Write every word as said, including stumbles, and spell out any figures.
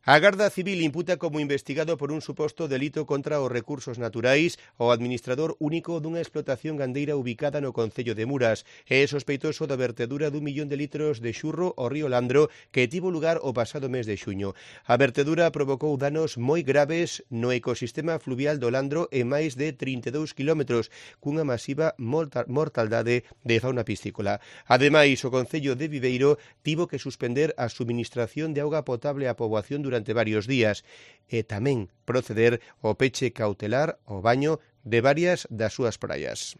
A Garda Civil imputa como investigado por un suposto delito contra os recursos naturais o administrador único dunha explotación gandeira ubicada no concello de Muras. É sospeitoso da vertedura dun millón de litros de xurro ao río Landro que tivo lugar o pasado mes de xuño. A vertedura provocou danos moi graves no ecosistema fluvial do Landro en máis de trinta e dous kilómetros, cunha masiva mortaldade de fauna piscícola. Ademais, o concello de Viveiro tivo que suspender a suministración de auga potable á poboación durante durante varios días e tamén proceder ao peche cautelar ao baño de varias das súas praias.